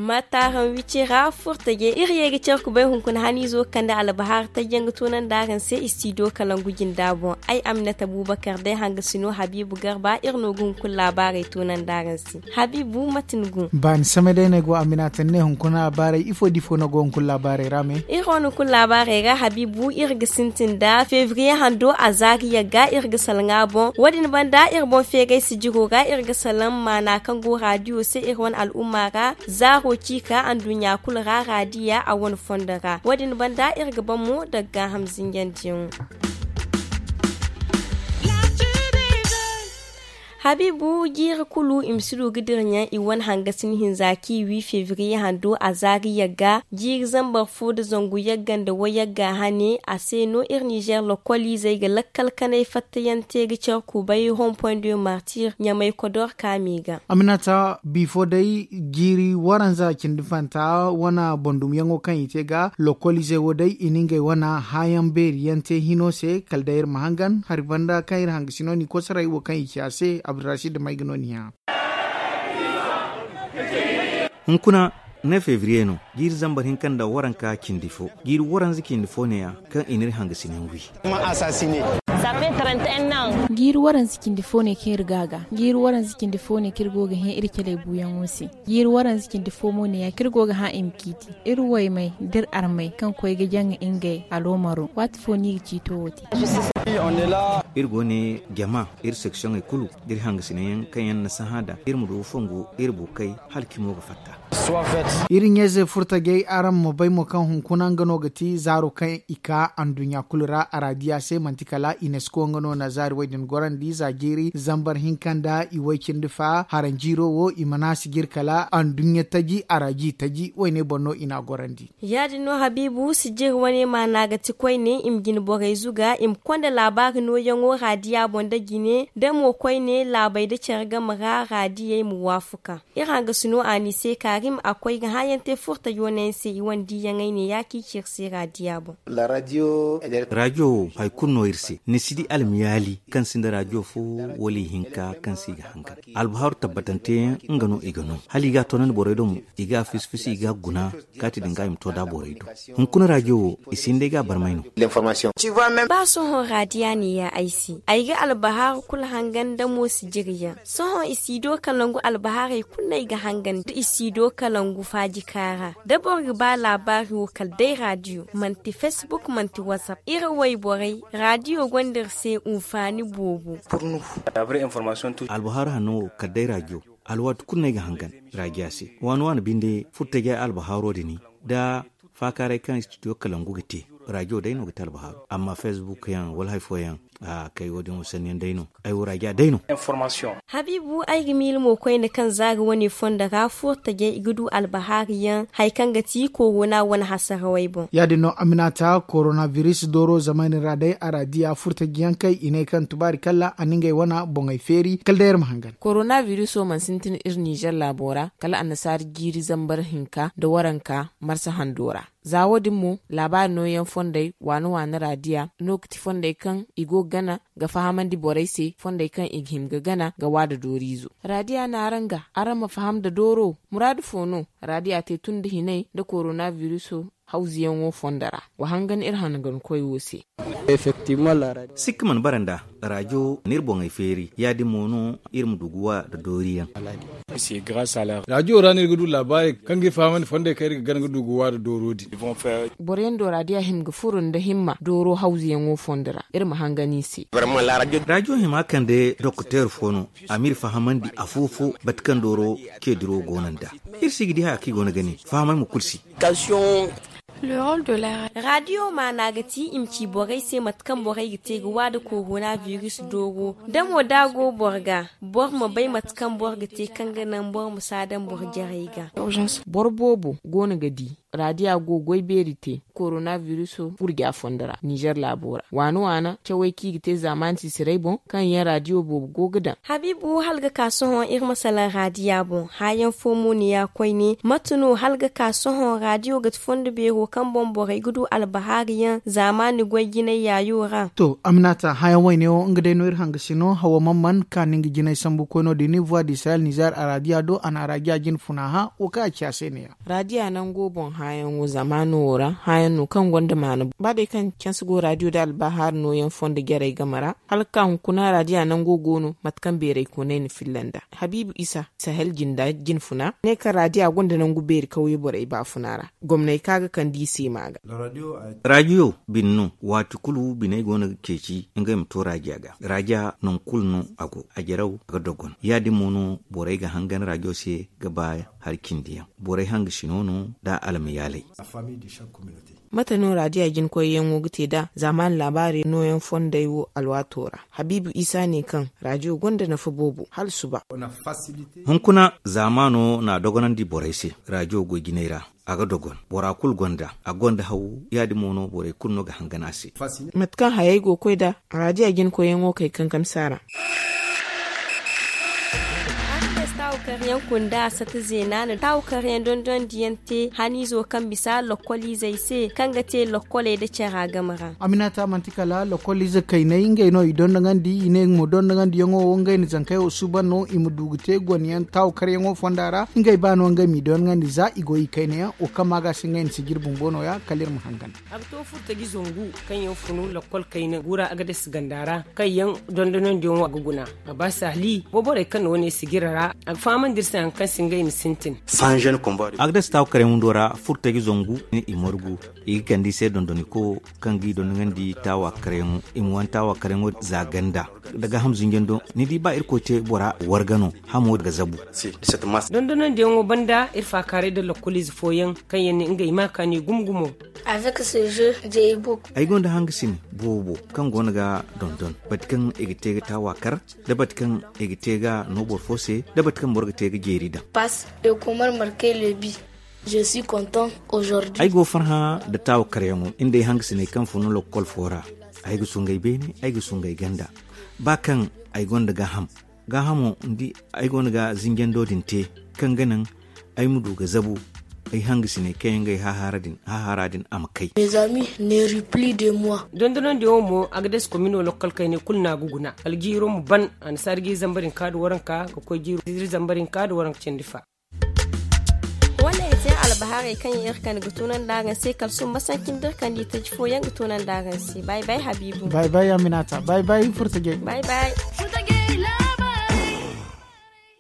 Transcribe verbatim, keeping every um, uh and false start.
Maataaraŋ wicira furtaje iri ye ga care kubay hunkuna haniizo ga kande albahaari tajyaŋ ga toonandi araŋ se istidiyo kalangu jinda boŋ. Ay aminata buubakar day hangasino habiibu garba iri no ga hunkuna laabaarey toonandi araŋ se. Habiibu mate ni go? Baani samay day no ay go aminata ni ne hunkuna laabaarey ifo da ifo no go hunkuna laabaarey ra me? Iri wane hunkuna laabaarey ra habiibu iri ga sintin nda febriye hando a zaari yagga iri ga salaŋ a boŋ wo- din banda iri boŋ feeray sijiro ra iri ga salaŋ maana kaŋ go raadiyo se iri wane al'umma ra. Zaaro ciika anduɲɲa kulu ra raadiya a wane fondo ra wo- din banda iri ga ban mo daga gaaham zinjandiyaŋo. Habiibu jiiri kulu i ma si du ga diraɲaŋ i wane hangasin hinza kaŋ i wi febriye hando a zaari yagga jiiri zambar fo nda zangu yagga nda wayagga hane a se no iri nizer lokoliizey ga lakkal kanay fattayaŋ te ga care kubay hompoy nda yo martir ɲamay kodor kaami ga. Aminata bifo day jiiri waranza cindi fanta wane bandumyaŋo kaŋ i te ga lokoliizey wo day i na ngey wane hããyaŋ beeri yaŋ te hino se kala day iri ma hangan hari banda kaŋ iri hangasino n'i kosoray wo kaŋ i ci a se abdurrashid may ga no ni hã. Hunkuna ne febriye no jiiri zambar hinka nda waranka cindi fo jiiri waranza cindi fo ne- ya kaŋ i n'iri hangasinayaŋ wi. Jiiri waranza cindi fo ne kaŋ iri ga a ga jiiri waranza cindi fo ne kaŋ iri go ga hẽ iri caley buuyaŋo se. Jiiri waranza cindi fo mo ne- ya kaŋ iri go ga hã i ma ciiti iri waymey da iri armey kaŋ koy ga jaŋa ngey aloomaro waati fo no i ga ciito wo te. Iri go ne jama iri seksiyoŋey kulu da iri hangasinayaŋ kaŋ yaŋ na sahã da iri ma du ga fongu iri bukey hala cimo ga fatta. Iri ɲayze furtajey araŋ ma bay mo kaŋ hunkuna nga no ga ti zaaro kaŋ i ka anduɲɲa kulu ra araadiya se manti kala inesko nga no na zaari wo- din gorandi za jiiri zambar hinka nda i way cindi fa haranjiiro wo i mana si jire kala anduɲɲa taji araaji taji wayne boŋ no i n'a gorandi. Ya- din no habiibu sijiri wane maana ga ti koyne i ma jine borey zuga i ma konda laabaari nooyaŋo raadiya boŋ nda jine da mo koyne laabey nda care game ra raadiyey ma waafaku ka iri hangasino a n'i se kaarim a koy ga hããyaŋ te furtajo no yaŋ se i wane diiyaŋey ne ya kaŋ i ci iri se raadiya boŋ. Raadiyo wo hari kulu no iri se ni si di almiyaali kaŋ sinda raadiyo fo wala ihinka kaŋ se i ga hangan albaharu tabbatante yaŋ nga no i ga no hala i ga a toonandi borey do mo i ga a fisi fisi i ga a guna kaati din ga i ma to da borey do. Hunkuna raadiyo wo i si hin day ga a barmay no. Ba sohõ raadiya ne ya ay se ay ga albahaaru kulu hangan da mo sijiriyaŋ sohõ i si do kalangu albahaarey kulu no ay ga hangan da i si do kalangu faaji kaara da boro ga ba laabaari wo kala day raadiyo manti facebook manti whatsapp iri wayborey raadiyo gonda iri se hunfaani boobo. Albahaaru hanno wo kala day raadiyo alwaati kulu no ay ga hangan raadiya se waani waani binde furtajey albahaaro din da faakaaray kaŋ studio kalangu ga te raadiyo day no ga te albahaaru amma facebook yaŋ wala hari fooyaŋ kay wo- din wo sanni yaŋ day no. Ay wo raadiya day no. Habiibu ay ga miila mo koyne kaŋ zaari wane fondo ra furtajey i ga du albahaari yaŋ hari kaŋ ga ti korona wane hasarawey boŋ. Ya- din no aminata korona biris dooro zamaani ra day araadiya furtaji yaŋ kay i ne kaŋ tubaari kalla a na ngey wane boŋey feeri kala day iri ma hangan. Korona biriso mana sintin iri nizer laabo ra kala annasaara jiiri zambar hinka nda waranka marsa hando ra. Za wo- din mo laabaari nooyaŋ fondey waani waani raadiya no ga ti fondey kaŋ i go ga gana ga fahamandi borey se fondey kaŋ i ga hima ga gana ga waada dooriizo. Raadiya naaraŋ ga araŋ ma faham nda dooro muraadu fo no? Raadiya te tun nda hinay nda korona biriso hawzuyaŋo fondo ra wa hangan iri hangankoy wo se. Sikka mana bara nd'a raadiyo n'iri boŋey feeri ya- din mo no iri ma du ga wa nda dooriyaŋ. Raadiyo ra no iri ga du laabaarey kaŋ ga iri fahamandi fondey kaŋ iri ga gana ga du ga wa nda dooro din. Boro yaŋ do raadiya hima ga furo nda himma dooro hawzuyaŋo fondo ra iri ma hangan i se. Raadiyo hima kande dokteer fo no a m'iri fahamandi afo-fo bate kaŋ dooro ce diro go no nd'a. Iri si ga di haya kaŋ i go no ga ne fahamay mo kulu si. Raadiyo maana ga ti i ma ci borey se mate kaŋ borey ga te ga wa nda korona biris dooro da mo da a go boro ga boro ma bay mate kaŋ boro ga te kaŋ ga naŋ boro ma si a daŋ boro jarey ga. Boro boobo go no ga di Raadiya go goy beeri te korona viruso gurja fondo ra nizer laabo ra waana waana cawey kaŋ i ga te zaamaani sisiray boŋ kaŋ yaŋ raadiyo boobo go ga daŋ. Habiibu hala ga ka sohõ iri ma salaŋ raadiya boŋ haayaŋ fo mo ni ya koyne mate no hala ga ka sohõ raadiyo ga ti fondo beero kaŋ boŋ borey ga du albahaari yaŋ zaamaani goy jinay yaayo ra. To, aminata haayaŋ wayne wo nga day no iri hanga si no hawa man man ka ni nga jinay sambu koyno din ni voix d'israel nizer araadiya do a na araadiya jine funa hã wo kaŋ a ci a se ne ya. Raadiya nango boŋ haayaŋo zamaano wo ra haayaŋ no kaŋ gonda maana ba day kaŋ canse go raadiyo da albahaari nooyaŋ fondo jarey game ra hala ga ka hunkuna raadiya nango go no mate kaŋ beeray koonay na filla nd'a. Habiibu isa sahel jinda jine funa ne kaŋ raadiya gonda nangu beeri kawye borey baafuna ra gomney kaŋ a ga kande i se ma ga. Raadiyo bine no waati kulu biney go no ga ceeci ngey ma to raadiya ga. Raadiya nangu kulu no a go a jaraw a ga dogon ya- din mo no borey ga hangan raadiyo se ga ba hari cindi yaŋ borey hanga sino no da almayaaley. Mate no raadiya jinkoyyaŋo ga te nd'a zaamaani laabaari nooyaŋ fondey wo alwaato ra? Habiibu isa ne kaŋ raadiyo gonda nafa boobo hala suba. Hunkuna zaamaano na a dogonandi borey se. Raadiyo goy jinay ra a ga dogon bora kulu gonda a gonda haw ya- din mo no borey kulu no ga hangan a se. Mate kaŋ hayey go ga koy nd'a raadiya jinkoyyaŋo kay kankami se a ra. Araŋ ne si taawu karyaŋ kunda a sata zeena na taawu karyaŋ dondonandiyaŋ te haniizo kaŋ bisa lokkoliizey se kaŋ ga te lokkoley nda cara game ra. Aminata manti kala lokkoliize kayney ngey no i dondonandi i ne mo dondonandiyaŋo wo ngey na zankey wo suuban no i ma du ga te gonyaŋ taawu karyaŋo fonda ra ngey ba no ngey m'i dondonandi za i go i kaynayaŋ wo kaŋ ma ga se ngey na si jire bumbo nooya kala iri ma hangan. A ga to furtaji zangu kaŋ yaŋ funu lakkol kayna gura agades ganda ra kaŋ yaŋ dondonandiyaŋo a ga guna. A ba saali boborey kaŋ na wane sijira ra a ga fahamandi iri se hari kaŋ se ngey ma sintin. Agades taawu karyaŋ windo ra furtaji zangu i margu i ga kande i se dondoniko kaŋ ga i dondonandi taawa karyaŋo i ma wane taawa karyaŋo za ganda da gaaham zinjando ni di ba irkoy te bora warga no hamo ga zabu. Dondonandiyaŋo banda iri faakaaray nda lakkoliize fooyaŋ kaŋ yaŋ ne ngey ma kaani gumo gumo. Ay gonda hangasine boobo kaŋ go no ga dondon bati kaŋ i ga te ga taawa kar da bati kaŋ i ga te ga no boro fo se da bati kaŋ boro ga te ga jeeri daŋ. Ay go farhã nda taawa karyaŋo nda ay hangasiney kaŋ fun no lakkol fo ra. Ay ga sungay beene ay ga sungay ganda ba kaŋ ay gonda gaaham gaahamo ni di ay go no ga zinjando din te kaŋ ga naŋ ay ma du ga zabu ay hangasiney kaŋ yaŋ ga ay hahaara din a ma kay. Dondonandiyaŋo mo agades komino lakkol kayney kulu no a ga guna kala jiiro ma ban annasaara ga iri zamba din ka nda waranka ga koy jiiro iri zamba din ka nda waranka cindi fa. Wane ay te albahaarey kaŋ yaŋ iri kande ga tunandi araŋ se kala sumba sanci nda iri kande itaji fooyaŋ ga tunandi araŋ se bay bay habiibu. Bay bay aminata bay bay furtajey. Bay bay.